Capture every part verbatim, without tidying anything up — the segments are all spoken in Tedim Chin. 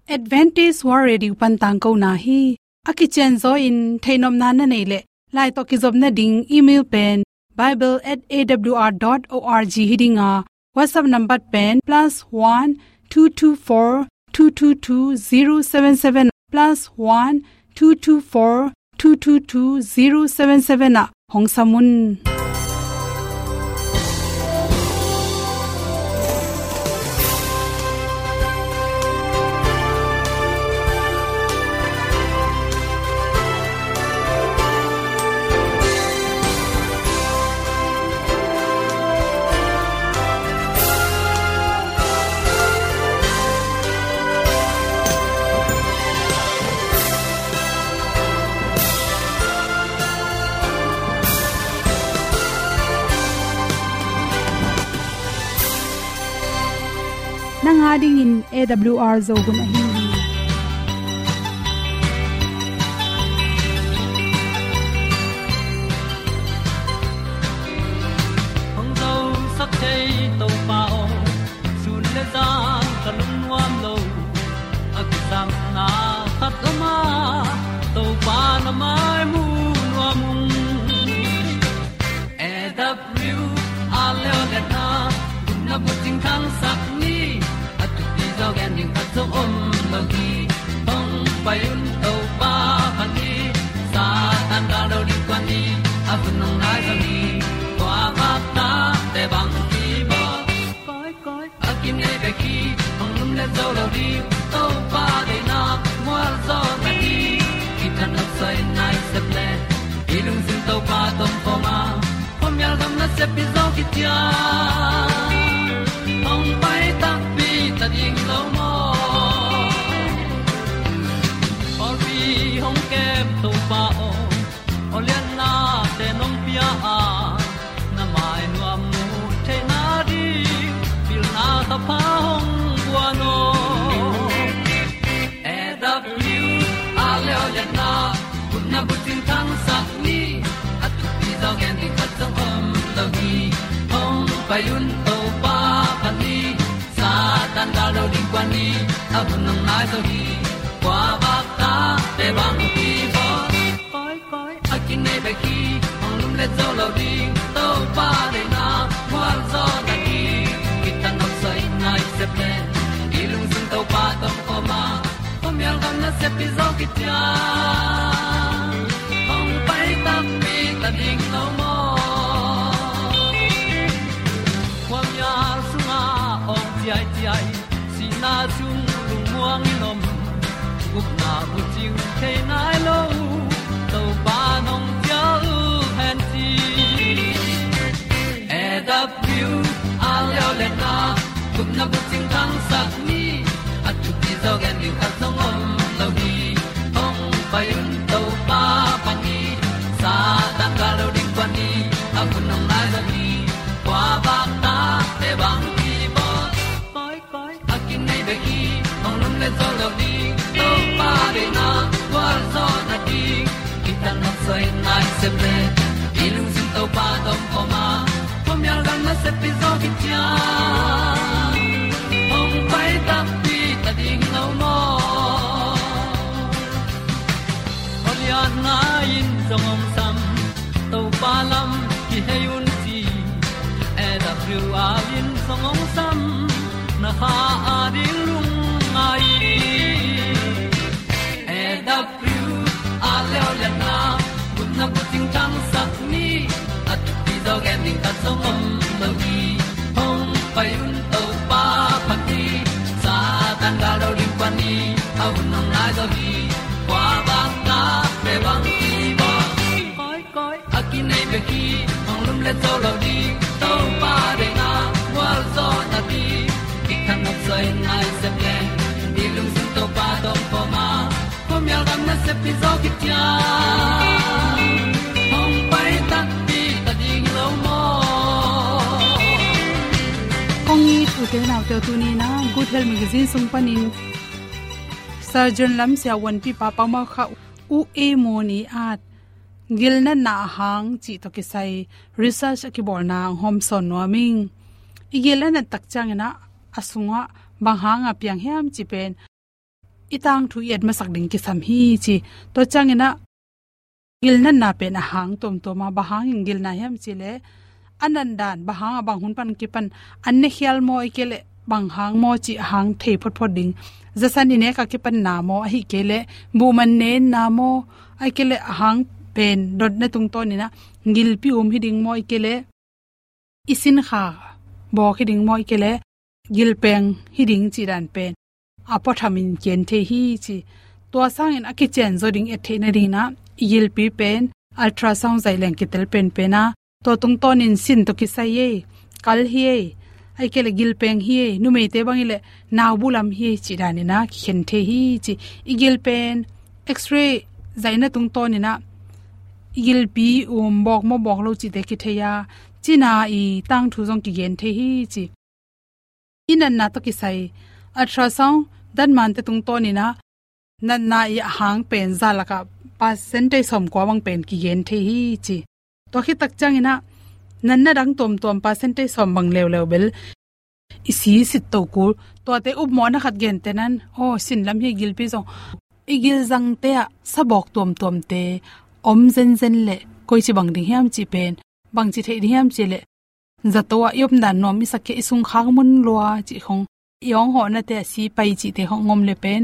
Adventist World Radio pan tangkona hi. A kicianzaw in theihnopna na neih leh, lai tawh kizopna ding email pen bible at A W R dot org hi ding a, WhatsApp number pen plus one two two four two two two zero seven seven, plus one two two four two two two zero seven seven ah hong sam un. Nang a dingin A W R Zo hun ahi hi. Hong zosak thei Topa aw, sun le zan ka lungnuam lo. A kisapna khat om a, Topa na mai mu nuam ung. A W R le aw le na, gupna bucing thangsak ni. A thupi zaw gen ding khat zong om lo hi. Hong pai un Topa pha ni. Satan gal lo ding kua ni. A hun hong nai zaw ni. Kua bak ta te bang ki bawl. Koi, koi, a kinei bek hi, hong lumlet zo lo ding. Topa deihna mual zaw na hi. Kithat nopsai nai sep le, i lungsim Topa tawh om khawm a, khuamial gam nasep hi zaw kician. Hong pai takpi ta ding lo maw? Pawlpi hong kem Topa aw, aw lianna te nong pia a, na mai nuam mu theihna ding, pilna thapha hong guan aw. A W R le aw le na, gupna bucing thangsak ni. A thupi zaw gen ding khat zong om lo hi. Hong pai un Topa pha ni. Satan gal lo ding kua ni. A hun hong nai zaw hi. Kua bak ta te bang ki bawl. Koi, koi, a kinei bek hi, hong lumlet zo lo ding. Topa deihna mual zaw na hi. Kithat nopsai nai sep le, i lungsim Topa tawh om khawm a, khuamial gam nasep hi zaw kician. Hong pai takpi ta ding lo maw? Khuamial sungah awng ciaiciai, sihna sung lungmuang in om. Gupna bucing thei nai lo, Topa nong cial hen ci. A W R le aw le na, gupna bucing thangsak ni. A thupi zaw gen ding khat zong om lo hi. Hong pai un Topa pha ni. Satan gal lo ding kua ni. A hun hong nai zaw hi. Kua bak ta te bang ki bawl. Koi, koi, a kinei bek hi, hong lumlet zo lo ding. Topa deihna gualzawhna ding, kithat nopsai nai sep le, i lungsim Topa tawh om khawm a, khuamial gam nasep hi zaw kician. Hong pai takpi ta ding lo maw? Aw lianna in zong hong sam, Topa lam kihei un ci. A W R in zong hong sam, na kha a ding lungngai. A W R le aw le na, gupna bucing thangsak ni. A thupi zaw gen ding khat zong om lo hi. Hong pai un Topa pha ni. Satan gal lo ding kua ni. A hun hong nai zaw hi. Kua bang ta te bang ki bawl. Koi, koi, a kinei bek hi, hong lumlet zo lo ding. Topa deihna gualzawhna ding, kithat nopsai nai sep le, i lungsim Topa tawh om khawm a, khuamial gam nasep hi zaw kician. Hong pai takpi ta ding lo maw? Kong it u te nau te, tuni-in ah Good Health Magazine sung panin Surgeon lam siavuanpipa pau mau kha U A Moni at gilnatna a hang cih tawh kisai research a kibawlna hong hawmsawn nuam ing. I gilna nat tak ciangin ah a sungah bang hanga piang hiam cih pen i tangthu i et masak ding kisam hi ci. Tua ciangin ah gilnatna pen a hang tuamtuam a, bang hangin gilna hiam cih leh a natdan bang hang a, bang hun pan kipan an ne khial maw, ahih kei leh bang hang maw cih a hang thei photphot ding. Zasan i nek a kipan na maw, ahih kei leh buhman ne in na maw, ahih kei leh a hang pen dotna tungtawnin ah gilpi um hi ding maw, ahih kei leh i sinkha bawk hi ding maw, ahih kei leh gilpeng hi ding cih dan pen a puathamin kigen thei hi ci. Tua sangin a kician zaw ding et theihna dingin ah i gilpi pen ultrasound zaih leng kitel penpen a, tua tungtawnin sin tawh kisai ei, kal hi ei, ahih kei leh gilpeng hi ei, numeite bang hi leh nau bulam hi ei cih danin ah kikhen thei hi ci. I gil pen X-ray zaihna tungtawnin ah i gilpi um bawk maw bawk lo cihte kithei a, cina i tangthu zong kigen thei hi ci. I natna tawh kisai ultrasound datmante tungtawnin ah natna i a hang pen za lakah percentage sawmkua bang pen kigen thei hi ci. Tua khit tak ciangin ah natna dang tuamtuam percentage sawm bang leuleu bel i si sit to kul. Tuate upmawhna khat gentehna in, aw, sin lam hi, gilpi zong, i gilzangte ah sabawk tuamtuamte om zenzen leh koici bang ding hiam cih pen, bangci theih ding hiam cih leh zato ah i omdan nuam i sak kei, i sungkhak mun lua cih khong, i awnghawhnate ah si pai cihte khong om leh pen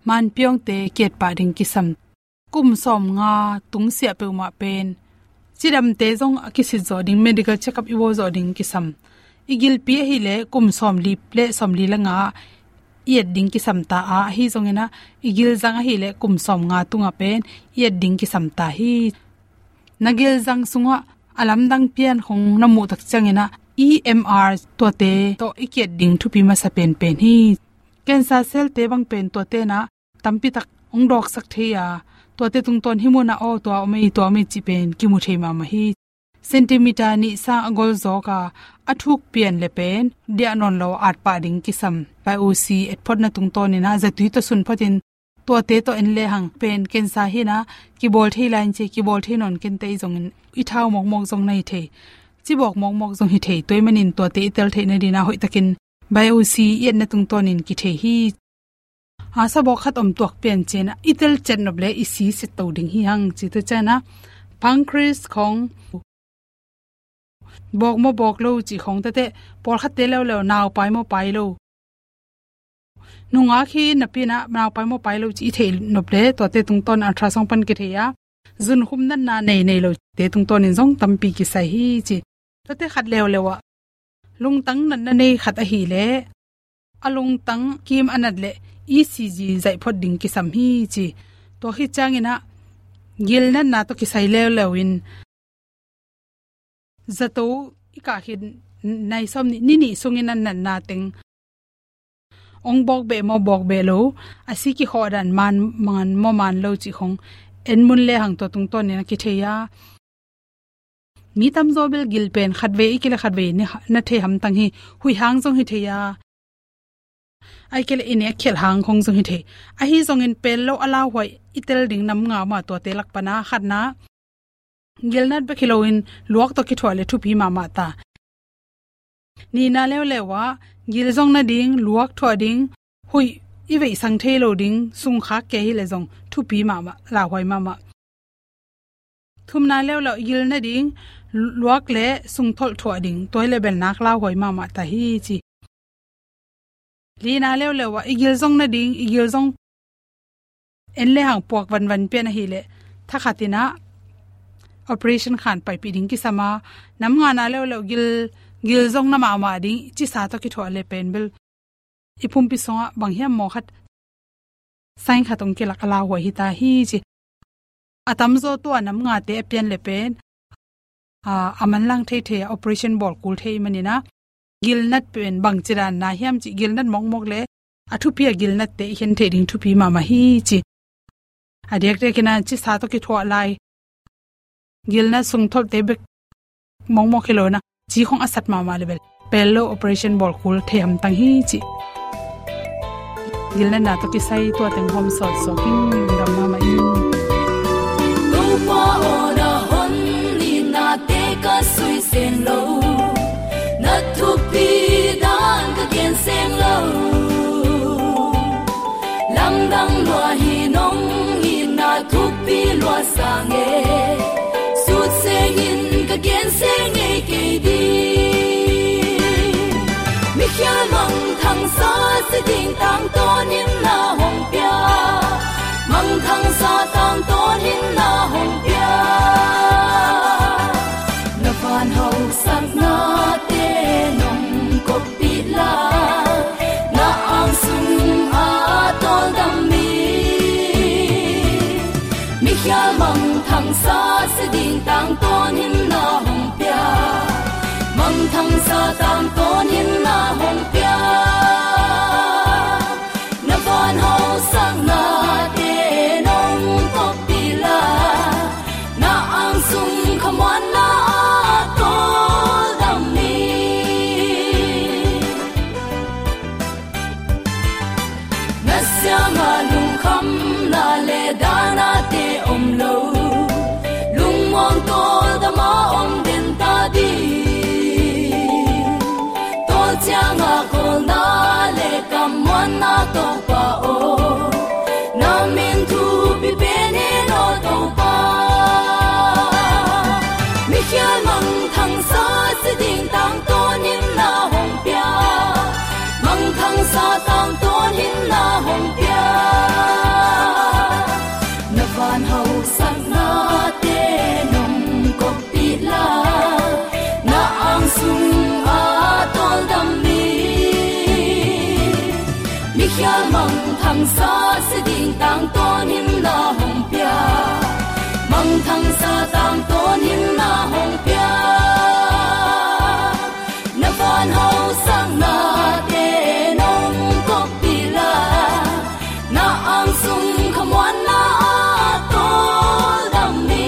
manpiawngte kiat pah ding kisam. Kum sawmnga tungsiah peuhmah pen cidamte zong a kisit zawh ding, medical check-up i bawl zawh ding kisam. I gilpi ahih leh kum sawmli leh sawmli leh nga ah i et ding kisam ta a, ahi zongin ah i gilzang ahih leh kum sawmnga tungah pen i et ding kisam ta hi. Na gilzang sungah a lamdang pian khong na muh tak ciangin ah E M R tuate tawh i kiat ding thupi masa penpen hi. Cancer cell-te bang pen tuate in ah tampi tak hong dawksak thei a, tuate tungtawn hih munah aw, tua om ei, tua om ei cih pen kimu thei mahmah hi. Centimeter nih sang a gol zawk a, a thuk pian leh pen diah nawn lo at pah ding kisam. Biopsy et photna tungtawnin ah zatui tawh sun photin tuate tawh en lehang pen cancer hi-in ah kibawl thei lai in ci, kibawl thei nawn kei in, tei zongin i thau mawkmawk zong na hi thei, cibawk mawkmawk zong hi thei. Tua ahih manin tuate i tel theihna dingin ah hoihtakin biopsy i etna tungtawnin kithei hi. A, sabawk khat om tuak pian ci-in ah i tel ciat nop leh i si sit to ding hi hang ci. Tua ciangin ah pancreas khong bawk maw bawk lo cih khong tete, pawlkhatte leuleu nau pai maw pai lo, nungak hi napi-in ah nau pai maw pai lo cih i theih nop leh tuate tungtawn ultrasound pan kithei a, zunkhum natna nei nei lote tungtawnin zong tampi kisai hi ci. Tuate khat leuleu ah lungtang natna nei khat ahih leh a lungtang kim a nat leh E C G zaih phot ding kisam hi ci. Tua khit ciangin ah gilnatna tawh kisai leuleu in zato i kah khit nai sawm nih, ni nih sungin a natna teng hong bawk beh maw bawk beh lo, a si kikhawh dan man, man maw man lo cih khong en mun lehang tua tungtawnin a kithei a. Mi tamzaw bel gil pen khatvei ahih kei leh khatvei na thei hamtang hi. Huih hang zong hi thei a, ahih kei leh i nek khialh hang khong zong hi thei. Ahi zongin pelh lo a lauhuai i tel ding nam nga om a, tuate lak pan ah khatna, gilnat bek hi loin luak tawh kithuah leh thupi mahmah ta. Nihna leuleu ah gil zong nading, luak thuah ding, huih i veihsang thei lo ding, sungkhak kei hi leh zong thupi mahmah, lauhuai mahmah. Thumna leuleu ah gil nading, luak leh sungtholh thuah ding, tua hi leh bel nak lauhuai mahmah ta hi ci. Lina leuleu ah i gil zong nading, i gil zong en lehang puak vanvan pian ahih leh thakhatin ah operation khan paipih ding kisam a, nam ngana leuleu gil, gil zong na mahmah ding, cisa tawh kithuah leh pen bel i pumpi sungah bang hiam maw khat, sign khat hong kilak a lauhuai hi ta hi ci. A tamzaw tua nam ngate a pian leh pen, a, a manlang theithei a, operation bawl kul thei manin ah, gilnat pen bangci dan na hiam cih, gilnat mawkmawk leh a thupi a gilnatte i khen theih ding thupi mahmah hi ci. A diakdiakin ah cisa tawh kithuah lai, gilnat sungtholhte bek mawkmawk hi lo-in ah, ci khong a sat mahmah leh bel pelh lo operation bawl kul thei hamtang hi ci. Gilnatna tawh kisai tua teng hawm sawt sawk ing, lungdam mahmah ing. Topa aw, na hon nitnate ka sui sem lo, na thupi dan ka gen sem lo. Lam Dang lua hi nong itna thupi lua sang e, sut sengin ka gen seng ngei kei ding. Mikhial mangthangsa si ding tangtawn in na hong pia, mangthangsa tangtawn in na hong pia. Na van hausaknate nong koppih la, na angsung a tawldam mi. Mikhial mangthangsa si ding tangtawn in na hong pia, mangthangsa tangtawn in na hong pia. Na van hausaknate nong koppih la, na angsung khamuanna a tawldam mi. Na siangah lungkhamna le dahnate om lo, lungmuang tawldam a om den ta ding. Tawl ciangah kawlna le kammuanna Topa aw, na min thupi pen in aw Topa. Mikhial mangthangsa si ding tangtawn in na hong pia, mangthangsa tangtawn in na hong pia. Na van hausaknate nong koppih la, na angsung a tawldam mi. Mikhial mangthangsa si ding tangtawn in na hong pia, mangthangsa tangtawn in na hong pia. Na van hausaknate nong koppih la, na angsung khamuanna a tawldam mi.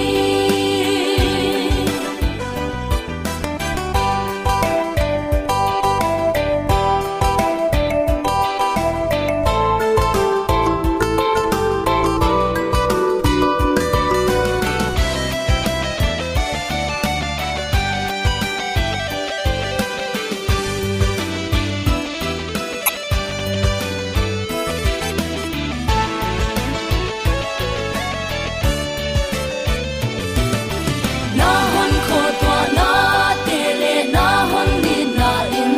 Na hon khuatuahnate le na hon nitna in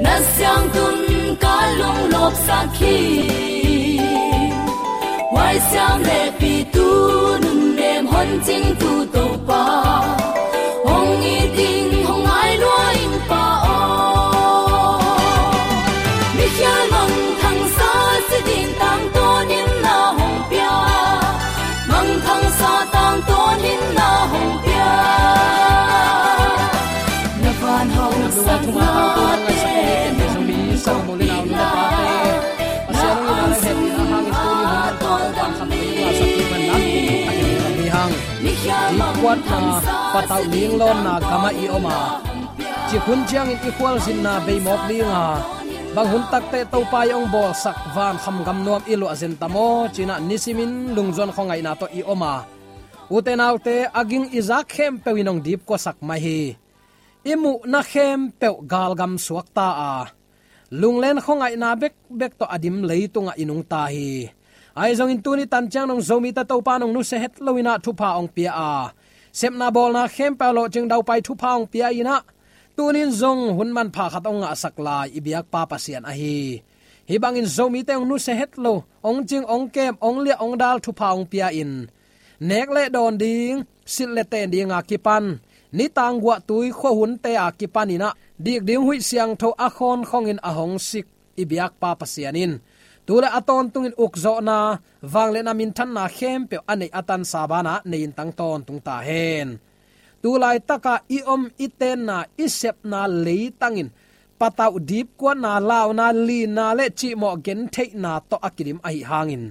na siangtun ka lunglawpsak hi. Huaisiam le pitu nunnem hon cingtu Topa, hong it ing hong ngai lua ing Pa aw. Mikhial mangthangsa si ding tangtawn in na hong pia, mangthangsa tangtawn in na hong pia. Na van hausaknate nong koppih la, na angsung a tawldam mi. Dipkuatna, patauh ninglawnna gamah i om a, cik hun ciangin i khualzinna beimawk ding a, bang hun takteh Topa i hong bawlsak van kham gam nuam i luah zen ta maw ci-in ah nisimin lungzuan khuangaihna tawh i om a, ute naute, a ging i zak khempeuh in hong dipkuasak mai hi. I muhna khempeuh galgam suakta a, lunglen khuangaihna bekbek tawh a dim leitungah i nungta hi. Ahi zongin tuni tan ciang dong Zomite Topa in hong nusia het lo in ah thupha hong pia a, sepna bawlna khempeuh a lawhcing daupai thupha hong pia in ah, tuni in zong hun manpha khat hong ngahsak lai i biakpa Pasian ahi. Hih bangin Zomite hong nusia het lo, hong cing, hong kem, hong liah, hong dal thupha hong pia in, nek le dawn ding, silh le ten ding a kipan, nitang guahtui khuahunte a kipan in ah, dik ding huih siangtho a khawnkhong in a hong sik i biakpa Pasian in, tu le a tawntungin ukzawhna, vangliatna, minthanna khempeuh a neih a tansa banah nei in tang tawntung ta hen. Tu laitakah i om i tenna, i sepna leitang in patauh dipkuatna, launa, lina le cihmawh gentheihna tawh a kidim ahih hangin,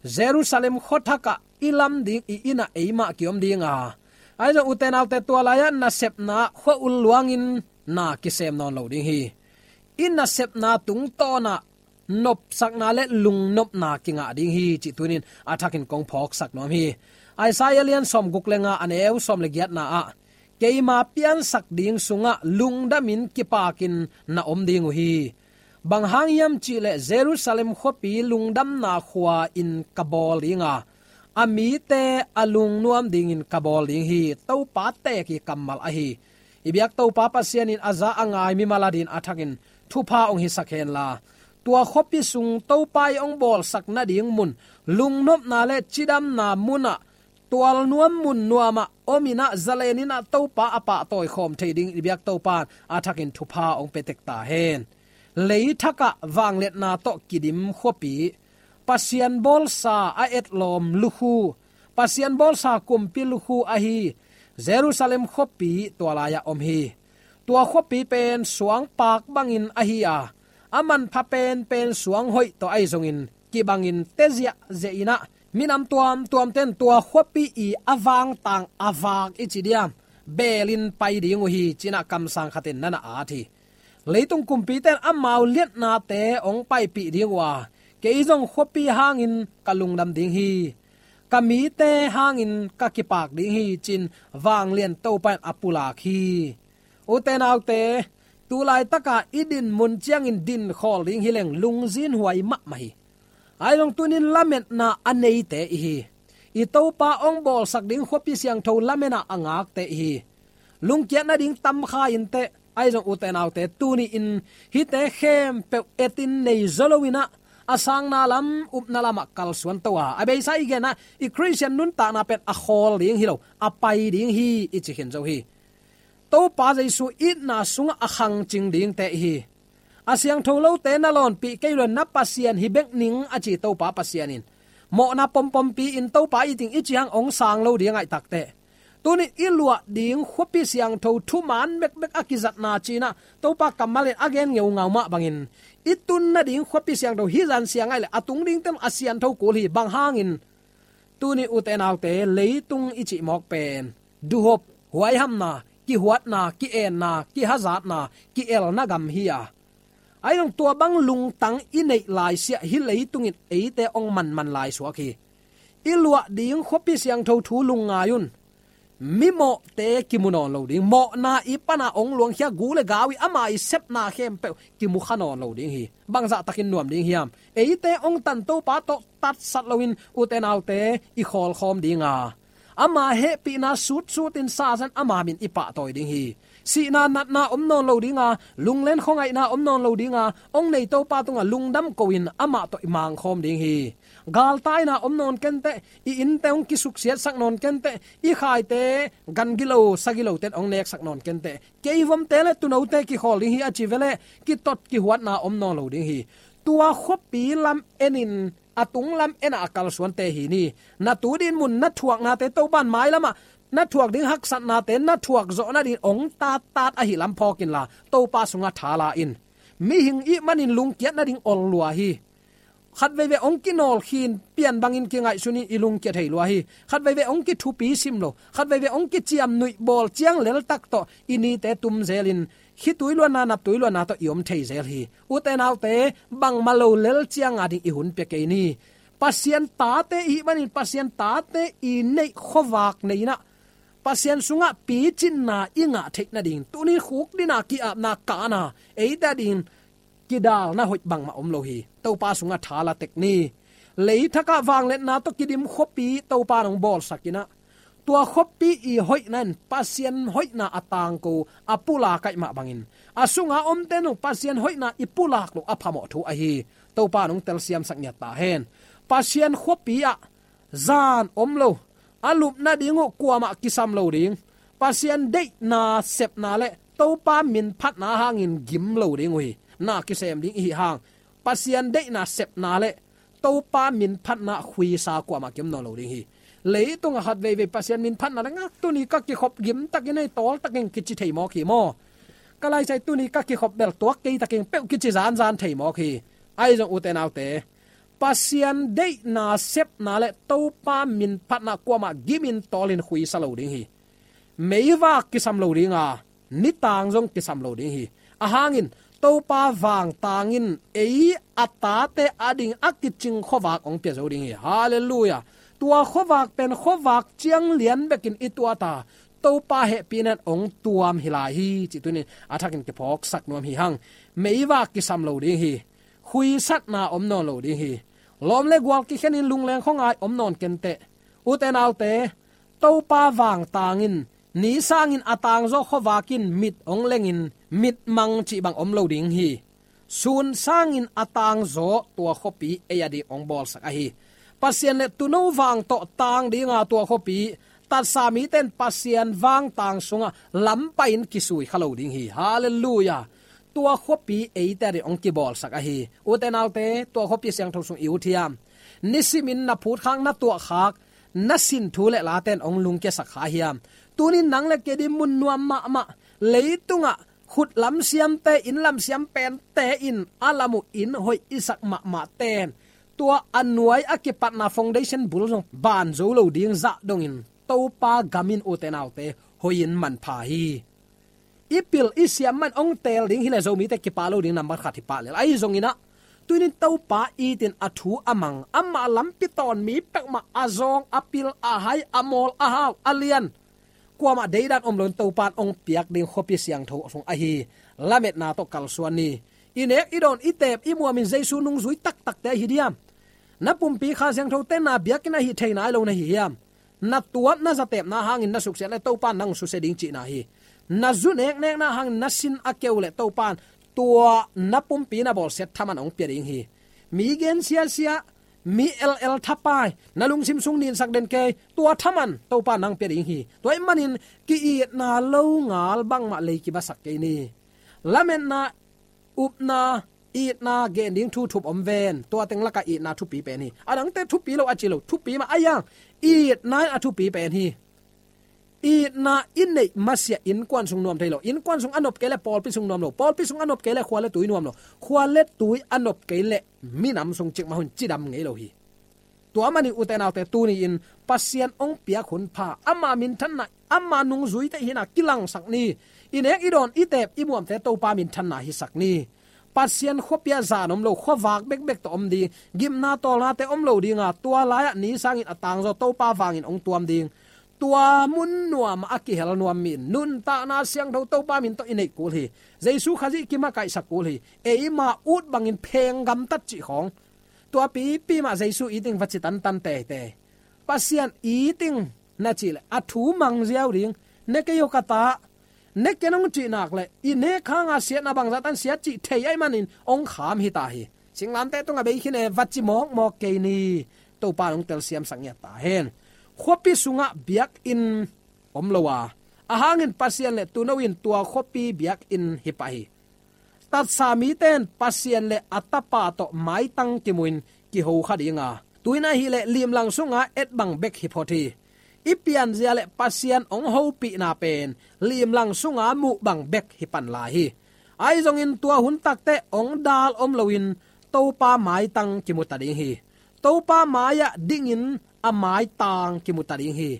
Jerusalem khuathakah i lam ding i innah eimah kiom ding a, ahi zong ute naute, tua lai-ah nasepna ah khua-ul luangin na kisem nawn lo ding hi. I nasepna tungtawnah nopsakna le lungnopna kingah ding hi cih tuni in a thakin kong phawksak nuam hi. Isaiah lian sawmguk le nga, a neu sawm le giatna ah, keima piansak ding sungah lungdamin kipakin na om ding uh hi. Bang hang hiam cihleh Jerusalem khuapi lungdamna khua-in ka bawl dinga, a mite a lungnuam dingin ka bawl ding hi, Topa teek i kammal ahi. I biak Topa Pasian in a za a ngai mimal adingin a thakin thupha hong hisak henla, tua khuapi sung Topa i hong bawlsak nading mun, lungnopna le cidamna munah, tualnuam mun nuamah om in ah, zalen in ah Topa a pahtawi khawm thei dingin i biak Topa in a thakin thupha hong pia tek ta hen. Leithakah vangliatna tawh kidim khuapi, Pasian bawlsa a etlawm lukhu, Pasian bawlsa kumpi lukhu ahi Jerusalem khuapi tua lai-ah om hi. Tua khuapi pen suangpaak bangin ahi a, a manpha penpen suang hoih tawh ahi zongin kibangin te ziahziah in ah, minam tuamtuamte in tua khuapi i a vangtang a vak i ci diam, beelin pai ding uh hi, ci-in ah kamsang khat in na na at hi. Leitung kumpite in amau liatnate hong paipih ding uh a, kei zong khuapi hangin ka lungdam ding hi, ka mite hangin ka kipak ding hi, ci-in vanglian Topa in a pulak hi. Ute naute, tu laitaka i din mun ciangin din khawl ding hi leng lungzinhuai mahmah hi. Ahi zong tuni-in lametna a neite i hi. I Topa hong bawlsak ding khuapi siangtho lametna a ngakte i hi. Lungkiat nading tam kha inteh, ahi zong ute naute, tuni-in hihte khempeuh etin nei zaw lo in ah, a sangna lam, upna lamah kalsuan to a, a beisa i gen ah, i Khristian nuntakna pen a khawl ding hi lo, a pai ding hi, i ci khin zo hi. Topa Jesu itna sungah a khangcing dingte i hi. A siangtho lote na lawnpih kei lo-in na Pasian hi bek ning, a ci Topa Pasian in. Mawhna pompompi-in Topa it ing i ci hang hong sang lo ding a, ahih takteh tuni-in i luah ding khuapi siangtho thuman bekbek a kizatna ci-in ah Topa kammal in a gen ngeungau mah bangin, i tun nading khuapi siangtho hih zan siang ahih leh a tung dingte in a siantho kul hi. Bang hangin? Tuni ute naute, leitung i cih mawk pen duhop, huaihamna, kihuatna, ki-enna, kihazatna, ki-elna gam hi a, ahi zong tua bang lungtang i neih laisiah hih leitung in eite hong manman lai suak hi. I luah ding khuapi siangtho thu lungngai un. Mimawhte kimu nawn lo ding, mawhna i pana hong luangkhia gu le gau i ama i sepna khempeuh kimu kha nawn lo ding hi. Bangzah takin nuam ding hiam? Eite hong tan Topa tawh tatsat loin ute naute i khawlkhawm ding a, ama hehpihna sutsutin sazan ama min i pahtawi ding hi. Sihna natna om nawn lo ding a, lunglen khuangaihna om nawn lo ding a, hong nei Topa tungah lungdam ko-in amah tawh i mangkhawm ding hi. Galtaina om nawn kenteh, i innte hong kisuksiatsak nawn kenteh, i khaite gan gilo sa gilote in hong neksak nawn kenteh, kei vomte le tuunote kikhawl ding hi a ci veleh kitot kihuatna om nawn lo ding hi. Tua khuapi lam enin, a tung lam enah a kalsuante hi ni. Na tu din mun, na thuaknate, Topa in mailamah na thuak ding haksatnate na thuak zawh nadingin hong tattat ahih lam phawk inla, Topa sungah tha la in. Mihing ihih manin lungkiat nading ol lua hi. Khatveivei hong kinawlkhin, pian bangin kingaihsun in i lungkia thei lua hi. Khatveivei hong kithupi sim lo, khatveivei hong kiciamnuih bawl ciang leltak tawh i nite tum zelin, khitui luanna, naptui luanna tawh i om thei zel hi. Ute naute, bangmah lo lel ciang ading i hun pia kei ni. Pasian tate ihih manin Pasian tate i neih khuavak nei in ah, Pasian sungah picinna i ngah theih nading, tuni khukdina, ki-apna, kahna, eite adingin kidalna hoih bangmah om lo hi. Topa sungah tha la tek ni. Leithakah vangliatna tawh kidim khuapi Topa in hong bawlsak in ah, tua khuapi i hoihna in Pasian hoihna a tangko, a pulak ahih mah bangin, a sunga omte in zong Pasian hoihna i pulak loh a phamawh thu ahi. Topa in hong telsiamsak ngiat ta hen. Pasian khuapi ah zan om lo, a lup nading uh kuamah kisam lo ding, Pasian deihna sepna le Topa minphatna hangin gim lo ding uh hi. Na kisem ding i hih hang, Pasian deihna sepna le Topa minphatna khuisa kuamah kim nawn lo ding hi. Leitungah khatveivei Pasian minphatna le ngak, tuni ka kikhop gimtakin ei tawltakin kici thei mawk hi maw? Ka laisai, tuni ka kikhop bel tuak kei takin peuh kici zanzan thei mawk hi. Ahi zong ute naute, Pasian deihna sepna le Topa minphatna kuamah gimin tawlin khuisa lo ding hi. Meivak kisam lo ding a, nitang zong kisam lo ding hi. A hangin Topa vangtangin ei a tate ading a kicing khuavak hong pia zo ding hi. Halleluiah. Tua khuavak pen khuavak ciang lian bekin i tuat a, Topa hehpihna in hong tuam hi lai hi, cih tuni-in a thakin kiphawksak nuam hi hang. meivak kisam lo ding hi. Khuisatna om nawn lo ding hi. Lawm le gual kikhenin lungleng khuangai om nawn kenteh. Ute naute, Topa vangtangin, ni sangin a tangzaw khuavak in mit hong lengin, mitmang cih bang om lo ding hi. Sun sangin a tangzaw tua khuapi ei a ding hong bawlsak ahi. Pasian le tuuno vang tawh tang dinga tua khuapi, tatsa mite in Pasian vangtang sungah lampai in kisui kha lo ding hi. Halleluiah. Tua khuapi eite a ding hong kibawlsak ahi. Ute naute, tua khuapi siangtho sung i ut hiam? Nisimin na phutkhak, na tuahkhak, na sin thu le late in hong lungkiasak kha hiam? Tunin nang le kei ding mun nuam mahmah, leitungah khut lamsiamte, inn lamsiam pente in a lam uh inn hoih i sak mahmahte in, tua a nuai a kipatna foundation bul zong ban zo lo ding zah dongin, Topa gam in, ute naute, hoih in manpha hi. I pil i siam man hong teel ding hi leh Zomite kipah lo ding nambat khat hi pah lel. Ahi zongin ah, tunin Topa itin a thu a mang, amah lampi tawn mi peuhmah a zawng, a pil, a hai, a mawl, a hau, a lian, kuamah deidan om loin Topa in hong piak ding khuapi siangtho sung ahi. Lametna tawh kalsuan ni. I nek, i dawn, i teep, i muamin Jesu nungzui taktakte ahi diam? Na pumpi Kha Siangthote na biakinn ahi thei nai lo na hi hiam? Na tuap, na zatepna hangin na suksiat le Topa in nang susia ding cihna hi. Na zu neknekna hangin na sin a keu le Topa in tua na pumpi na bawlsiat thaman hong pia ding hi. Mi gen siasia, mi el el thapai, na lungsim sung ninsak den kei, tua thaman Topa in nang pia ding hi. Tua ahih manin ki-itna lo ngal bangmah lei kibasak kei ni. Lametna, upna, itna gen ding thu thup om ven. Tua teng lakah itna thupi pen hi. A dangte thupi lo a ci lo, thupi mah a hiang. Itna in a thupi pen hi. Itna i neih masiah innkuan sung nuam thei lo. Innkuan sung a nop kei leh pawlpi sung nuam lo. Pawlpi sung a nop kei leh khua le tui nuam lo. Khua le tui a nop kei leh minam sung cikmah hun cidam ngei lo hi. Tua manin ute naute, tuni-in Pasian hong piak hun pha, ama minthanna, ama nungzuite hihna kilangsak ni. I nek, i dawn, i teep, i muamte Topa minthanna hisak ni. Pasian khuapi ah zan om lo, khuavak bekbek tawh om ding, gimna tawlnate om lo dinga, tua lai-ah ni sangin a tangzaw Topa vangin hong tuam ding. Tua mun nuamah a kihel nuam mi in nuntakna siangtho Topa min tawh i neih kul hi. Jesu Khazih kimakaihsak kul hi. Eima ut bangin pheng gamtat cih khawng, tua pipi mah Jesu it ing va ci tantan teitei. Pasian it ing na cih leh a thu mang ziau ding. Ne kei aw ka ta, ne ken hong cih nak leh, i nek hanga siatna bangzah tan siat cih thei ahih manin hong kham hi ta hi. Singlamteh tungah bei khin e, va ci mawkmawk kei ni. Topa in hong telsiamsak ngiat ta hen. Khuapi sungah biakinn om lo a, a hangin Pasian le tuuno in tua khuapi biakinn hi pah hi. Tatsa mite in Pasian le a Tapa tawh maitang kimu in kiho kha ding a, tu-in ahih leh limlang sunga et bang bek hi phot hi. I pianzia le Pasian hong hopihna pen limlang sunga muh bang bek hi pan lai hi. Ahi zongin tua hun takteh hong dal om loin Topa maitang kimu ta ding hi. Topa mai-ah dingin a maitang kimu ta ding hi.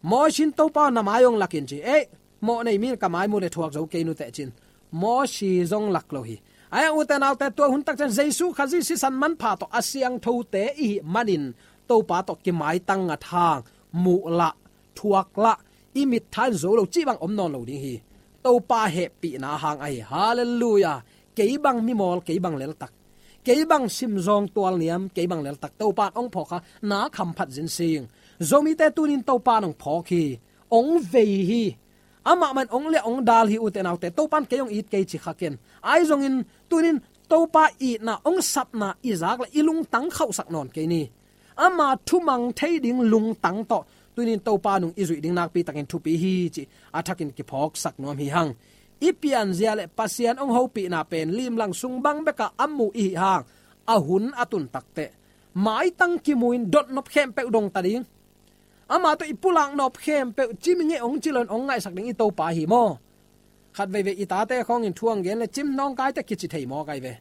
Mawsi in Topa aw, na mai hong lak in ci. Ei, mawh nei mi in ka mai mu le thuak zo kei nuteh cin, Mawsi zong lak lo hi. Ahi hang ute naute, tua hun tak ciang Jesu Khazih sisan manpha tawh a siangthote i hih manin Topa tawh kimaitang ngat hang, muh lah, thuak lah, i mittha in zo lo cih bang om nawn lo ding hi. Topa hehpihna hang ahi. Halleluiah. Kei bang mimawl, kei bang leltak, kei bang simzawng tualniam, kei bang leltak, Topa in hong phawk kha, na khamphat zin sing. Zomite tunin Topa in hong phawk hi. Hong vei hi. Amah mah in hong liah hong dal hi ute naute. Topa in kei hong it kei ci kha ken. Ahi zongin tunin Topa itna, hong sapna i zak leh i lungtang khauhsak nawn kei ni. Ama thumang thei ding lungtang tawh tunin Topa nung i zuih ding nakpi takin thupi hi cih a thakin kiphawksak nuam hi hang. I pianzia le Pasian hong hopihna pen limlang sung bang bekah a muh i hih hang, a hun a tun takteh maitang kimu in dotnop khempeuh dong ta ding. Ama tawh i pulak nop khempeuh cim i ngei hong ci loin hong ngaihsak ding i Topa hi maw? Khat veivei i tate khawngin thu hong gen le cim nawngkaite kici thei mawk ahi ve.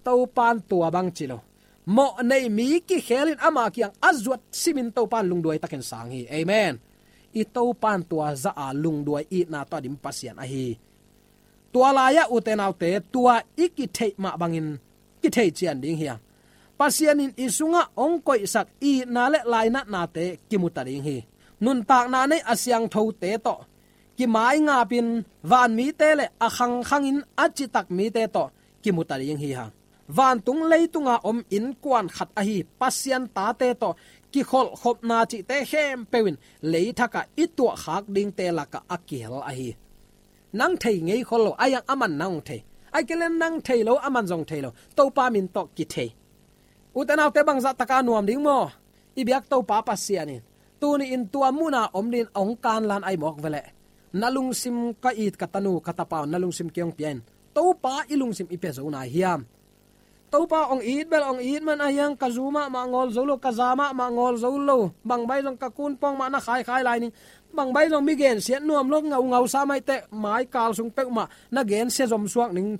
Topa in tua bang ci lo. Mawh nei mi kikhel in ama kiang a zuat simin Topa in lungduai takin sang hi. Amen. I Topa in tua zah a lungduai itna tawh a dim Pasian ahi. Tua lai-ah ute naute, tua i kitheih mah bangin kithei cian ding hi a, Pasian in i sungah hong koihsak itna le lainatnate kimu ta ding hi. Nuntakna nei a siangthote tawh kimaingapin vanmite le a khangkhangin a citak mite tawh kimuta ding hi hang. Vantung leitunga om innkuan khat ahi Pasian tate tawh kikholhkhopna cihte khempeuh in leithakah i tuahkhak dingte lakah a kihel ahi. Nang thei ngei khol lo, a iang aman nang hong thei. Ai kelen nang thei lo, aman zong thei lo. Topa min tawh kithei. Ute naute, bangzah taka nuam ding maw? I biak Topa Pasian in tuni in tua muna om dingin hong kanlan ahi mawk veleh. Na lungsim, ka it ka tanu ka tapa, na lungsim kei hong pia in. Topa i lungsim i pia zo nai hiam? Topa hong it bel hong it man a hiang, ka zu mahmah ngawl zo lo, ka za mahmah ngawl zo lo. Bangbai zong ka kunpawng mah na khaikhai lai ning. Bangbai zong mi gensiat nuam lo, ngaungau sa maiteh, mai kal sung peuhmah na gensia zomsuak ning.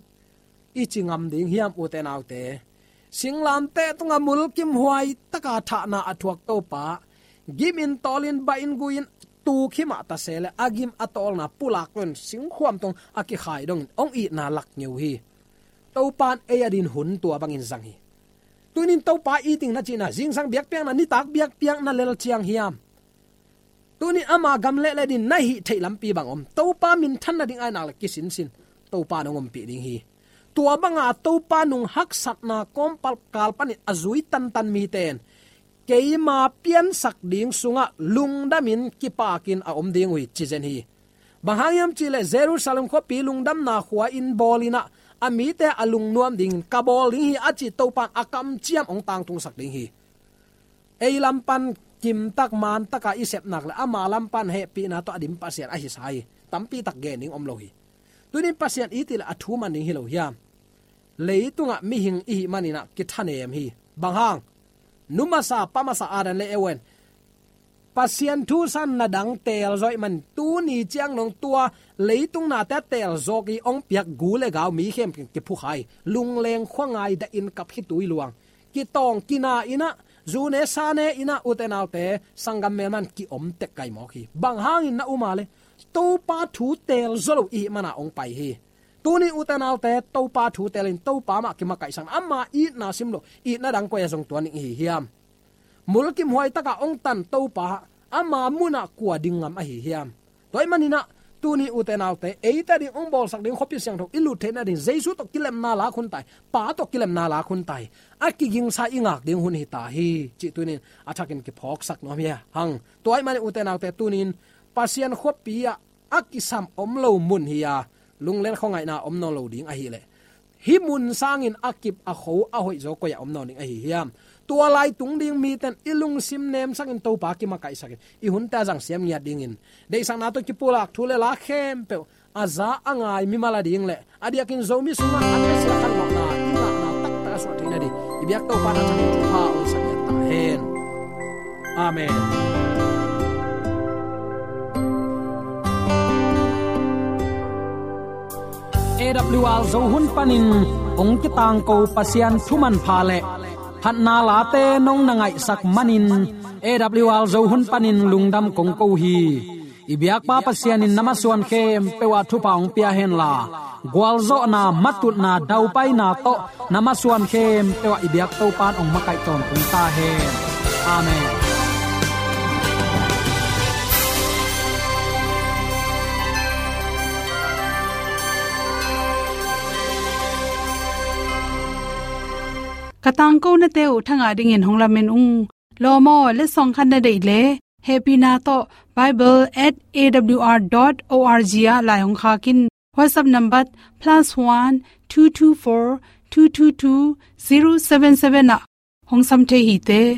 I ci ngam ding hiam, ute naute? Singlamteh tunga mulkimhuai taka thahna a thuak Topa, gimin tawlin bahin guhin tuk himah ta se le, a gim a tawlna pulak loin singkhuam tawh a kikhai dongin hong itna lak ngeu hi. Topa in ei a din hun tua bangin zang hi. Tunin Topa iting na cihna, zingsang biakpiakna, nitak biakpiakna lel ciang hiam? Tunin ama gam le le din na hih theih lampi bang om? Topa minthan nading ai nak le kisinsin Topa in hong ompih ding hi. Tua banga Topa nung haksatna kawmpal kal panin a zui tantan mite in keima piansak ding sungah lungdamin kipakin a om ding uh hi, ci zen hi. Bang hang hiam cihleh Jerusalem khuapi lungdamna khua in bawl inah a mite a lungnuam dingin ka bawl ding hi, a ci Topa in a kamciam hong tangtungsak ding hi. Ei lampan kimtak mantaka i sepnak le ama lampan hehpihna tawh a dim Pasian ahi sa hi. Tampitak gen ding om lo hi. Tunin Pasian i tih le a thu man ding hi lo hiam? Leitungah mihing i hih maninah kithanem hi. Bang hang? Nu masa pa masa Adam le Eva in Pasian thu sanna dang teel zawh ahih man tuni ciang dong tua leitung nate a teel zawk i hong piak gu le gau mi khempeuh kiphukha hi. Lungleng khuangai dahin kap khitui luang kitawng kina inah, zu ne sa ne inah, ute naute, sanggam melman kiom tek kai mawk hi. Bang hangin na um a le? Topa thu teel zaw lo i hih mana hong pai hi. Tunin ute naute, Topa thu teelin Topa mah kimakaihsak, ama itna sim lo itna dang koi a zong tuan ding i hi hiam? Mulkimhuai takah hong tan Topa ama munah kua ding ngam ahi hiam? Tua ahih maninah tuni ute naute, eite ding hong bawlsak ding khuapi siangtho i lut theih nading Jesu tawh kilemna lak hun ta hi. Pa tawh kilemna lak hun ta hi. A kigingsa i ngak ding hun hi ta hi, cih tunin a thakin kiphawksak nuam hi hang. Tua ahih manin ute naute, tunin Pasian khuapi ah a kisam om lo mun hi a, lungleng khuangaihna om nawn lo ding ahileh, hih mun sangin a kip a kho a hoih zaw koi-ah om nawn ding ahi hiam? Tua lai tung ding mite in i lungsim nemsakin Topa kimakaihsakin i hunte a zangsiam ngiat dingin deihsakna tawh kipulak thu le la khempeuh a za a ngai mimal a ding le a diakin Zomi sungah a nesia khanlawhna i ngahna taktak a suah theih nading i biak Topa in a thakin thupha a hoihsak ngiat ta hen. Amen. A W R Zo hun panin hong kitangko Pasian thu manpha le phatna late nong na ngaihsak manin A W R Zo hun panin lungdam kong ko hi. I biakpa Pasian in na masuan khempeuh ah thupha hong pia henla, gualzawhna, matutna, daupaina tawh na masuan khempeuh ah i biak Topa in hong makaih tawntung ta hen. Amen. Ka tangkonate uh thangah dingin hong lamen ung. Lawm aw, letsong khat na deih le hehpihna tawh bible at A W R dot O R G ah lai hong khak in. WhatsApp number plus one two two four two two two zero seven seven ah hong sam thei hi te.